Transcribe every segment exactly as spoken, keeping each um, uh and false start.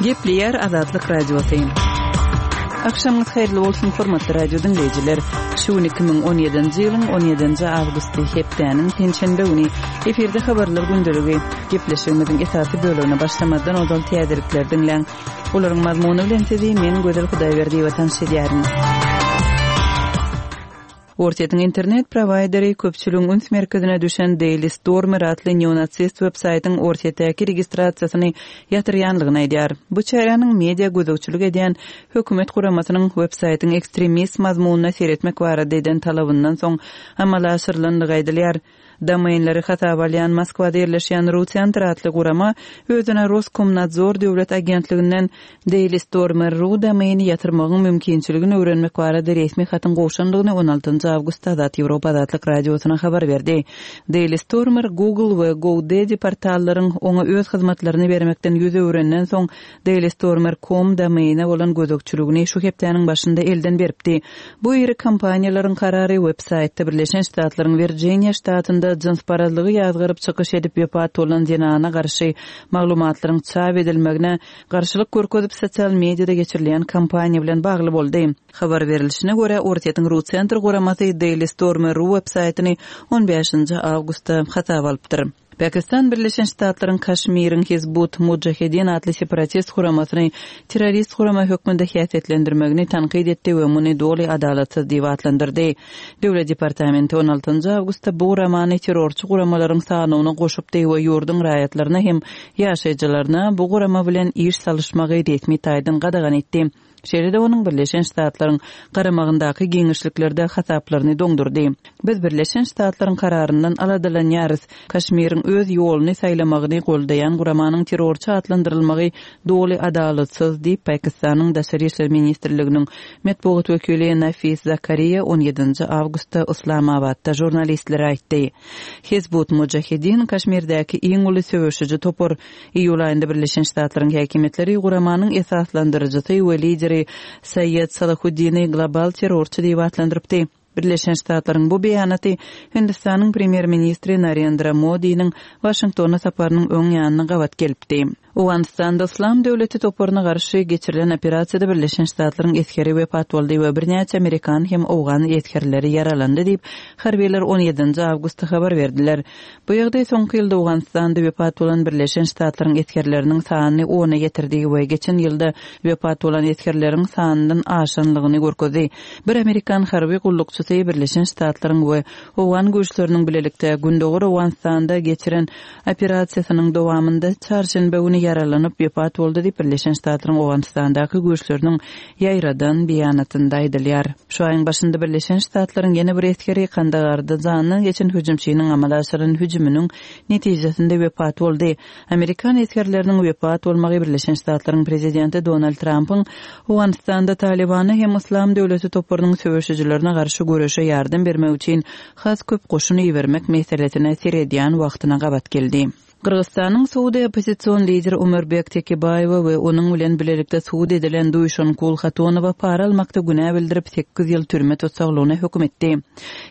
Gepleýär Azatlyk Radiosy. Akşamyňyz haýyrly bolsun, hormatly radio diňleýjiler. Şu gün iki müň on ýedinji ýylyň on ýedinji awgusty, hepdäniň penşenbe güni. Efirde habarlar gündeligi. Gepleşigimiziň esasy bölegine başlamazdan ozal täzelikleri diňläň. Olaryň mazmuny bilen sizi men Gözel Hudaýberdiýewa tanyş edýärin. Orsýetiň internet prowaýderi köpçüligiň üns merkezine düşen Daily Stormer atly neonasist websaýtyň Orsýetdäki registrasiýasyny ýatyrýanlygyny aýdýar. Bu çäräniň media gözegçilik edýän hökümet guramasynyň websaýtyň ekstremist mazmunyna seretmek barada eden talabyndan soň amala aşyrylandygy aýdylýar. Domainleri hasaba alýan Moskwada ýerleşýän Rucenter atly gurama özüne Roskomnadzor döwlet agentliginden Daily Stormer ru domaini ýatyrmagyň mümkinçiligini öwrenmek barada resmi hatyň gowşandygyny on altynjy awgustda Azat Ýewropa Azatlyk Radiosyna habar berdi. Daily Stormer Google we GoDaddy portallaryň oňa öz hyzmatlaryny bermekden ýüz öwrenden soň Daily Stormer nokta com domaine bolan gözegçiligini şu hepdäniň başynda elden beripdi. Bu iri kompaniýalaryň karary websaýtda Birleşen Ştatlaryň Virginia ştatynda jynsparazlygy ýazgaryp çykyş edip wepat bolan zenana garşy maglumatlaryň çap edilmegine garşylyk görkezip sosial mediada geçirilýän kampaniýa bilen bagly boldy. Habar berilişine görä Orsýetiň Rucenter guramasy Daily Stormer ru websaýtyny on bäşinji awgustda hasaba alypdyr. Pakistan Birleşen Ştatlaryň Kaşmiriň Hizbut Mujahedin atly separatist guramasyny terrorist gurama hökmünde häsiýetlendirmegini tankyt etdi we muny doly adalatsyz diýip atlandyrdy. Döwlet departamenti on altynjy awgustda bu guramany terrorçy guramalaryň sanyna goşupdy we ýurduň raýatlaryna hem ýaşaýjylaryna bu gurama bilen iş salyşmagy resmi taýdan gadagan etdi. Şeýle-de onuň Birleşen Ştatlaryň garamagyndaky giňişliklerde hasaplaryny doňdurdy. Biz Birleşen Ştatlaryň kararyndan aladalanýarys. Kaşmiriň öz ýoluny saýlamagyny goldaýan guramanyň terrorçy atlandyrylmagy doly adalatsyz diýip Pakistanyň Daşary İşler Ministrliginiň metbugat wekili Nafis Zakariya on ýedinji awgustda Islamabadda žurnalistlere aýtdy. Hizbut Mujahedin Kaşmirdäki iň uly söweşiji topar iýul aýynda Birleşen Ştatlaryň häkimiýetleri guramanyň esaslandyryjysy we lideri Saýed Salahuddini global terrorçy diýip atlandyrypdy. Birleşen Ştatlaryň bu beýanaty Hindistanyň premýer-ministri Narendra Modiniň Waşingtona saparynyň öň ýanyna gabat gelipdi. Owganystanda Islam döwleti toparyna garşy geçirilen operasiýada Birleşen Ştatlaryň esgeri wepat boldy we birnäçe Amerikan hem Owgan esgerleri ýaralandy diýip, harbiler on ýedinji awgustda habar berdiler. Bu ýagdaý soňky ýylda Owganystanda wepat bolan Birleşen Ştatlaryň esgerleriniň sanyny ona getirdi we geçen ýylda wepat bolan esgerleriň sanyndan aşanlygyny görkezdi. Bir Amerikan harby gullukçysy Birleşen Ştatlaryň we Owgan güýçleriniň bilelikde Gündogar Owganystanda geçiren operasiýasynyň dowamynda çarşenbe güni ýaralanyp wepat boldy diýip Birleşen Ştatlaryň Owganystandaky güýçleriniň ýaýradan beýanatynda aýdylýar. Şu aýyň başynda Birleşen Ştatlaryň ýene bir esgeri Kandagarda jandan geçen hüjümçiniň amala aşyran hüjüminiň netijesinde wepat boldy. Amerikan esgerleriniň wepat bolmagy Birleşen Ştatlaryň prezidenti Donald Trumpyň Owganystanda Talibana hem Islam döwleti toparynyň söweşijilerine garşy göreşe ýardam bermek üçin has köp goşun ibermek meselesine seredýän wagtyna gabat geldi. Gyrgyzystanyň sudy oppozision lideri Ömürbek Tekebaýewa we onuň bilen bilelikde sud edilen Duýşankul Hatonowa para almakda günä bildirip sekiz ýyl türme tutsaglygyna höküm etdi.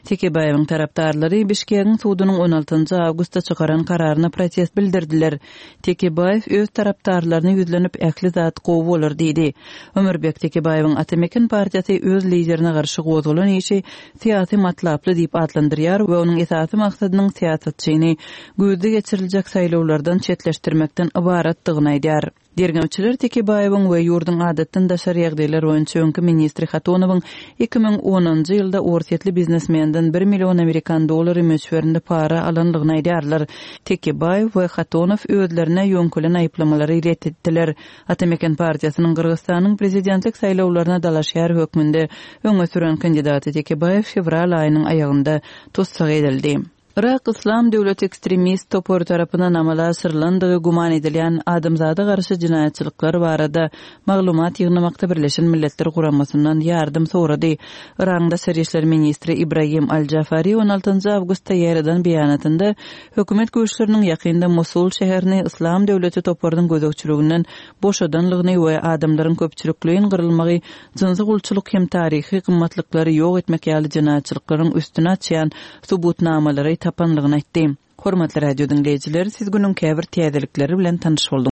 Tekebaýewiň tarapdarlary Bişkegiň sudunyň on altynjy awgustda çykaran kararyna protest bildirdiler. Tekebaýew öz tarapdarlaryna ýüzlenip ähli zat gowy bolar diýdi. Ömürbek Tekebaýewiň Atameken partiýasy öz liderine garşy gozgalan işi syýasy matlaply diýip atlandyrýar we onuň esasy maksadynyň syýasatçyny güýzde geçiriljek saýlawlardan çetleşdirmekden ybaratdygyny aýdýar. Derňewçiler Tekebaýewiň we ýurduň adatdan daşary ýagdaýlar boýunça öňki ministri Hatonowyň iki müň onunjy ýylda orsýetli biznesmenden bir million amerikan dollary möçberinde para alandygyny aýdýarlar. Tekebaýew we Hatonow özlerine ýöňkülen aýyplamalary ret etdiler. Atameken partiýasynyň Gyrgyzystanyň prezidentlik saýlawlaryna dalaşýar hökmünde öňe süren kandidaty Tekebaýew fewral aýynyň aýagynda tussag edildi. Irak Islam döwleti ekstremist topary tarapyndan amala aşyrylandygy güman edilýän adamzada garşy jenaýatçylyklar barada maglumat ýygnamakda Birleşen Milletler Guramasyndan ýardam sorady. Irak'ın Daşary İşler Ministri İbrahim Al-Jafari on altynjy awgustda ýaýradan beýanatynda hökümet güýçleriniň ýakynda Mosul şäherini Islam döwleti toparynyň gözegçiliginden boşadanlygyny we adamlaryň köpçülikleýin gyrylmagy, jynsy gulçulyk hem taryhy gymmatlyklary ýok etmek ýaly jenaýatçylyklaryň üstüne açýan subutnamalary tapanlygyny aýtdy. Hormatly radio diňleýjiler, siz günüň käbir täzelikleri bilen tanyş bolduňyz.